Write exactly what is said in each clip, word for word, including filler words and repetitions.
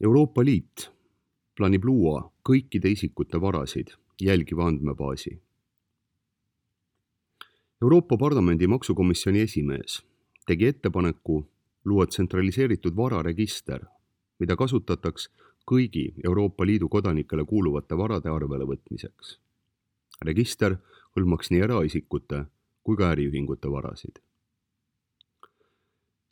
Euroopa Liit plaanib luua kõikide isikute varasid jälgiva andmebaasi. Euroopa Parlamendi maksukomisjoni esimees tegi ettepaneku luua tsentraliseeritud vararegister, mida kasutataks kõigi Euroopa Liidu kodanikele kuuluvate varade arvele võtmiseks. Register hõlmaks nii eraisikute kui ka äriühingute varasid.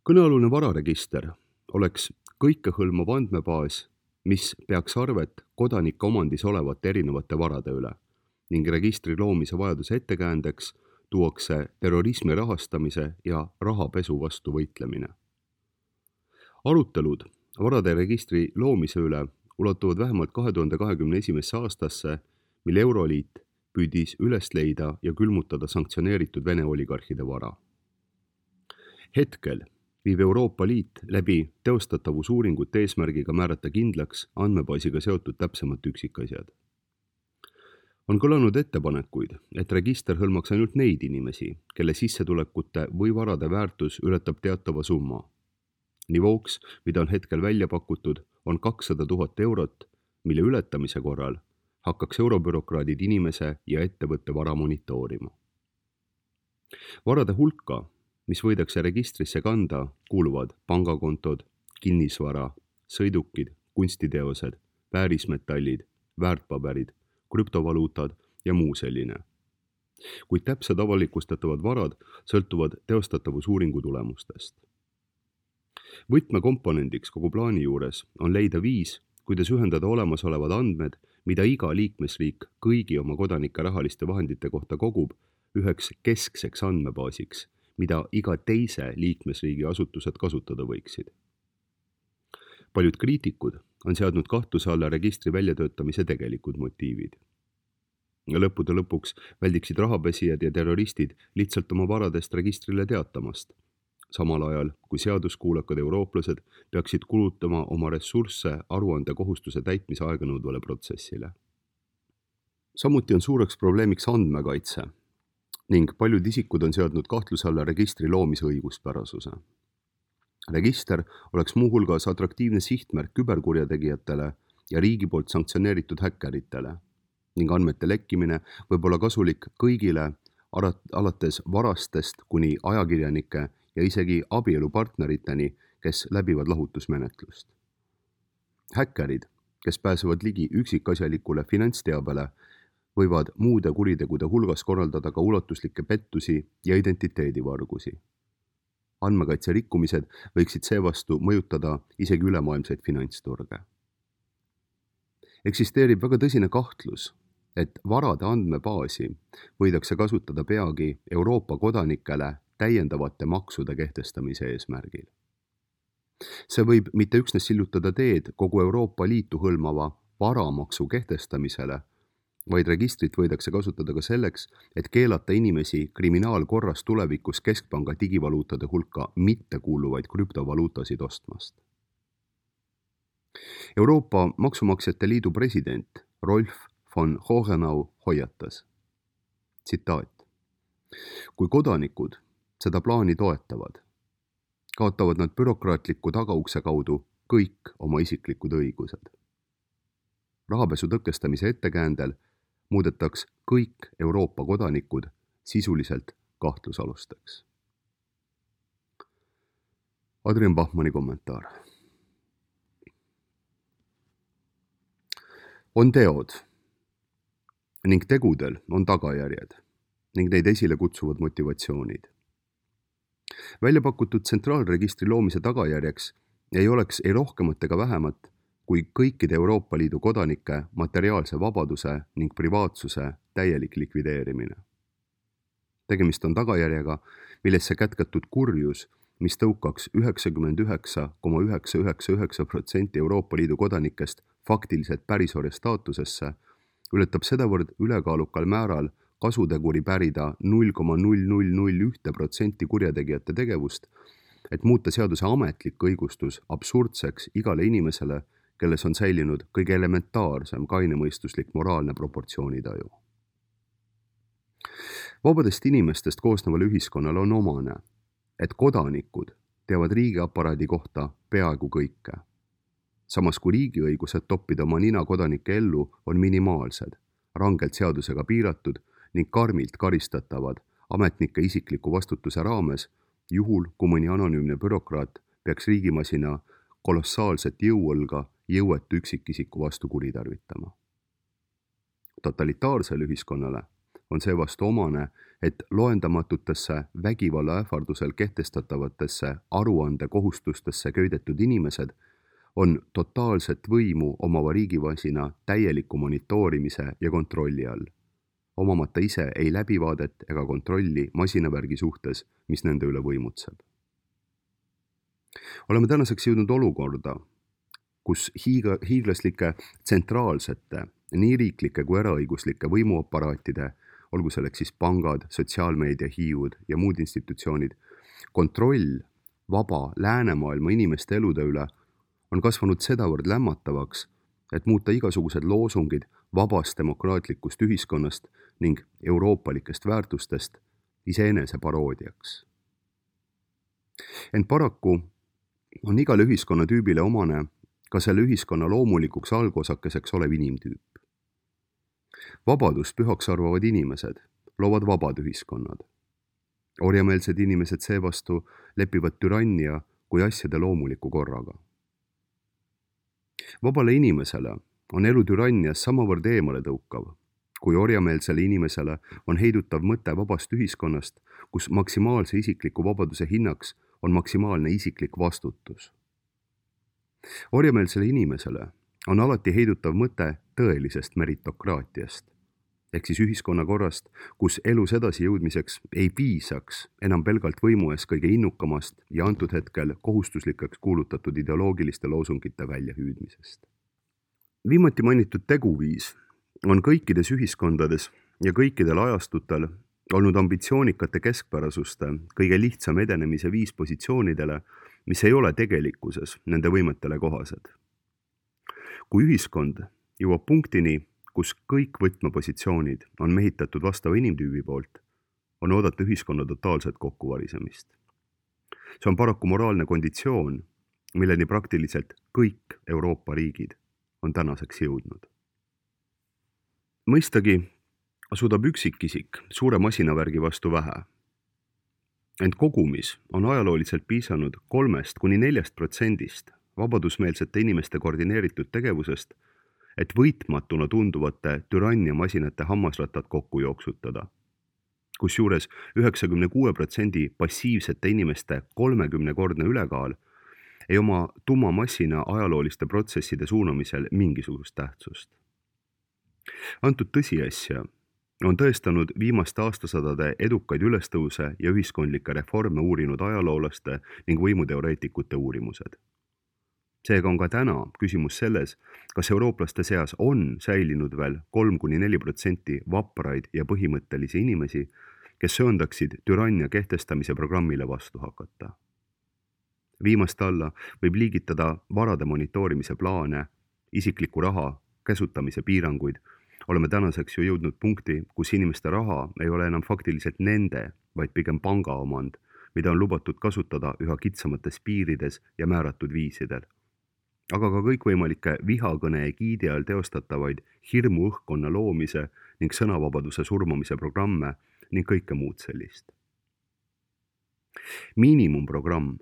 Kõnealune vararegister oleks kõikehõlmav andmebaas, mis peaks arvet kodanike omandis olevate erinevate varade üle ning registri loomise vajaduse ettekäändeks tuuakse terrorismi rahastamise ja rahapesu vastu võitlemine. Arutelud varade registri loomise üle ulatuvad vähemalt kahe tuhande kahekümne esimesse aastasse, mil Euroliit püüdis üles leida ja külmutada sanktsioneeritud Vene oligarhide vara. Hetkel viib Euroopa Liit läbi teostatavusuuringut eesmärgiga määrata kindlaks andmebaasiga seotud täpsemad üksikasjad. On kõlanud ettepanekuid, et register hõlmaks ainult neid inimesi, kelle sissetulekute või varade väärtus ületab teatava summa. Nivooks, mida on hetkel välja pakutud, on kakssada tuhat eurot, mille ületamise korral hakkaks eurobürokraadid inimese ja ettevõtte vara monitoorima. Varade hulka, mis võidakse registrisse kanda, kuuluvad pangakontod, kinnisvara, sõidukid, kunstiteosed, väärismetallid, väärtpaberid, krüptovaluutad ja muu selline. Kuid täpsed avalikustatavad varad sõltuvad teostatavusuuringu tulemustest. Võtmekomponendiks kogu plaani juures on leida viis, kuidas ühendada olemasolevad andmed, mida iga liikmesriik kõigi oma kodanike rahaliste vahendite kohta kogub, üheks keskseks andmebaasiks, mida iga teise liikmesriigi asutused kasutada võiksid. Paljud kriitikud on seadnud kahtluse alla registri väljatöötamise tegelikud motiivid. Lõppude lõpuks väldiksid rahapesijad ja terroristid lihtsalt oma varadest registrile teatamast, samal ajal kui seaduskuulekad eurooplased peaksid kulutama oma ressursse aruande kohustuse täitmise aeganõudvale protsessile. Samuti on suureks probleemiks andmekaitse ning paljud isikud on seadnud kahtluse alla registri loomise õiguspärasuse. Register oleks muuhulgas atraktiivne sihtmärk küberkurjategijatele ja riigi poolt sanktsioneeritud häkkeritele ning andmete lekkimine võib olla kasulik kõigile alates varastest kuni ajakirjanike ja isegi abielupartneriteni, kes läbivad lahutusmenetlust. Häkkerid, kes pääsevad ligi üksikasjalikule finantsteabele, võivad muude kuritegude hulgas korraldada ka ulatuslikke pettusi ja identiteedivargusi. Andmekaitse rikkumised võiksid seevastu mõjutada isegi ülemaailmseid finantsturge. Eksisteerib väga tõsine kahtlus, et varade andmebaasi võidakse kasutada peagi Euroopa kodanikele täiendavate maksude kehtestamise eesmärgil. See võib mitte üksnes sillutada teed kogu Euroopa Liitu hõlmava varamaksu kehtestamisele, vaid registrit võidakse kasutada ka selleks, et keelata inimesi kriminaalkorras tulevikus keskpanga digivaluutade hulka mittekuuluvaid krüptovaluutasid ostmast. Euroopa Maksumaksjate Liidu president Rolf von Hohenau hoiatas. Tsitaat. Kui kodanikud seda plaani toetavad, kaotavad nad bürokraatliku tagaukse kaudu kõik oma isiklikud õigused. Rahapesu tõkestamise ettekäändel muudetaks kõik Euroopa kodanikud sisuliselt kahtlusalusteks. Adrian Bachmanni kommentaar. On teod ning tegudel on tagajärjed ning neid esile kutsuvad motivatsioonid. Välja pakutud tsentraalregistri loomise tagajärjeks ei oleks ei rohkemat ega vähemat kui kõikide Euroopa Liidu kodanike materiaalse vabaduse ning privaatsuse täielik likvideerimine. Tegemist on tagajärjega, millesse kätkatud kurjus, mis tõukaks üheksakümmend üheksa koma üheksa üheksa üheksa protsenti Euroopa Liidu kodanikest faktiliselt pärisorja staatusesse, ületab sedavõrd ülekaalukal määral kasuteguri pärida null koma null null null üks protsenti kurjategijate tegevust, et muuta seaduse ametlik õigustus absurdseks igale inimesele, kelles on säilinud kõige elementaarsem kainemõistuslik moraalne proportsioonitaju. Vabadest inimestest koosnevale ühiskonnale on omane, et kodanikud teavad riigiaparaadi kohta peaaegu kõike. samas kui riigiõigused toppida oma nina kodanike ellu on minimaalsed, rangelt seadusega piiratud ning karmilt karistatavad ametnike isikliku vastutuse raames, juhul kui mõni anonüümne bürokraat peaks riigimasina kolossaalset jõuõlga jõuetu üksikisiku vastu kuritarvitama. Totalitaarsele ühiskonnale on seevastu omane, et loendamatutesse vägivalla ähvardusel kehtestatavatesse aruandekohustustesse köidetud inimesed on totaalset võimu omava riigimasina täieliku monitoorimise ja kontrolli all, omamata ise ei läbivaadet ega kontrolli masinavärgi suhtes, mis nende üle võimutseb. Oleme tänaseks jõudnud olukorda, kus hiiga, hiiglaslike tsentraalsete, nii riiklike kui eraõiguslike võimuaparaatide, olgu selleks siis pangad, sotsiaalmeedia, hiiud ja muud institutsioonid, kontroll vaba läänemaailma inimeste elude üle on kasvanud sedavõrd lämmatavaks, et muuta igasugused loosungid vabast demokraatlikust ühiskonnast ning euroopalikest väärtustest iseenese paroodiaks. Ent paraku on igale ühiskonnatüübile omane ka selle ühiskonna loomulikuks algosakeseks olev inimtüüp. Vabadust pühaks arvavad inimesed loovad vabad ühiskonnad. Orjameelsed inimesed seevastu lepivad türannia kui asjade loomuliku korraga. Vabale inimesele on elu türannias samavõrd eemale tõukav, kui orjameelsele inimesele on heidutav mõte vabast ühiskonnast, kus maksimaalse isikliku vabaduse hinnaks on maksimaalne isiklik vastutus. Orjameelsele inimesele on alati heidutav mõte tõelisest meritokraatiast, ehk siis ühiskonnakorrast, kus elus edasi jõudmiseks ei piisaks enam pelgalt võimu ees kõige innukamast ja antud hetkel kohustuslikeks kuulutatud ideoloogiliste loosungite väljahüüdmisest. Viimati mainitud teguviis on kõikides ühiskondades ja kõikidel ajastutel olnud ambitsioonikate keskpärasuste kõige lihtsam edenemise viis positsioonidele, mis ei ole tegelikkuses nende võimetele kohased. Kui ühiskond jõuab punktini, kus kõik võtmepositsioonid on mehitatud vastava inimtüübi poolt, on oodata ühiskonna totaalset kokkuvarisemist. See on paraku moraalne konditsioon, milleni praktiliselt kõik Euroopa riigid on tänaseks jõudnud. Mõistagi suudab üksikisik suure masinavärgi vastu vähe. Ent kogumis on ajalooliselt piisanud kolmest kuni neljast protsendist vabadusmeelsete inimeste koordineeritud tegevusest, et võitmatuna tunduvate türanniamasinate hammasratad kokku jooksutada. Kusjuures üheksakümne kuue protsendi passiivsete inimeste kolmekümnekordne ülekaal ei oma tumma massina ajalooliste protsesside suunamisel mingisugust tähtsust. Antud tõsiasja on tõestanud viimaste aastasadade edukaid ülestõuse ja ühiskondlikke reforme uurinud ajaloolaste ning võimuteoreetikute uurimused. Seega on ka täna küsimus selles, kas eurooplaste seas on säilinud veel kolm kuni neli protsenti vapraid ja põhimõttelisi inimesi, kes sööndaksid türannia kehtestamise programmile vastu hakata. Viimast alla võib liigitada varade monitoorimise plaane, isikliku raha käsutamise piiranguid. Oleme tänaseks ju jõudnud punkti, kus inimeste raha ei ole enam faktiliselt nende, vaid pigem panga omand, mida on lubatud kasutada üha kitsamates piirides ja määratud viisidel. Aga ka kõikvõimalike vihakõne egiidi all teostatavaid hirmu õhkkonna loomise ning sõnavabaduse surmamise programme ning kõike muud sellist. Miinimumprogramm,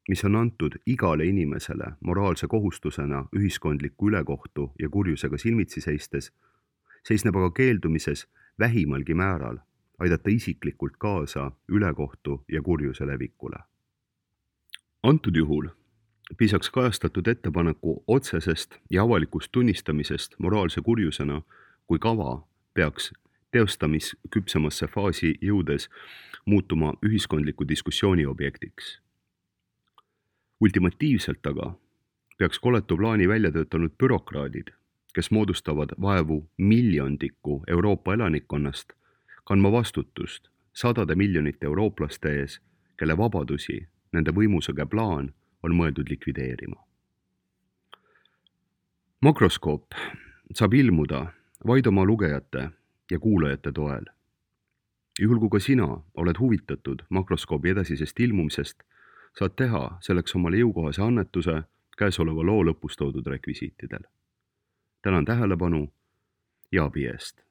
mis on antud igale inimesele moraalse kohustusena ühiskondliku ülekohtu ja kurjusega silmitsi seistes, seisneb aga keeldumises vähimalgi määral aidata isiklikult kaasa ülekohtu ja kurjuse levikule. Antud juhul piisaks kajastatud ettepaneku otsesest ja avalikust tunnistamisest moraalse kurjusena, kui kava peaks teostamisküpsemasse faasi jõudes muutuma ühiskondliku diskussiooni objektiks. Ultimatiivselt aga peaks koletu plaani välja töötanud bürokraadid, kes moodustavad vaevu miljondiku Euroopa elanikkonnast, kandma vastutust sadade miljonite eurooplaste ees, kelle vabadusi nende võimusõge plaan on mõeldud likvideerima. Makroskoop saab ilmuda vaid oma lugejate ja kuulajate toel. Juhul kui ka sina oled huvitatud makroskoobi edasisest ilmumisest, saad teha selleks omale jõukohase annetuse käesoleva loo lõpus toodud rekvisiitidel. tänan tähelepanu ja abi eest!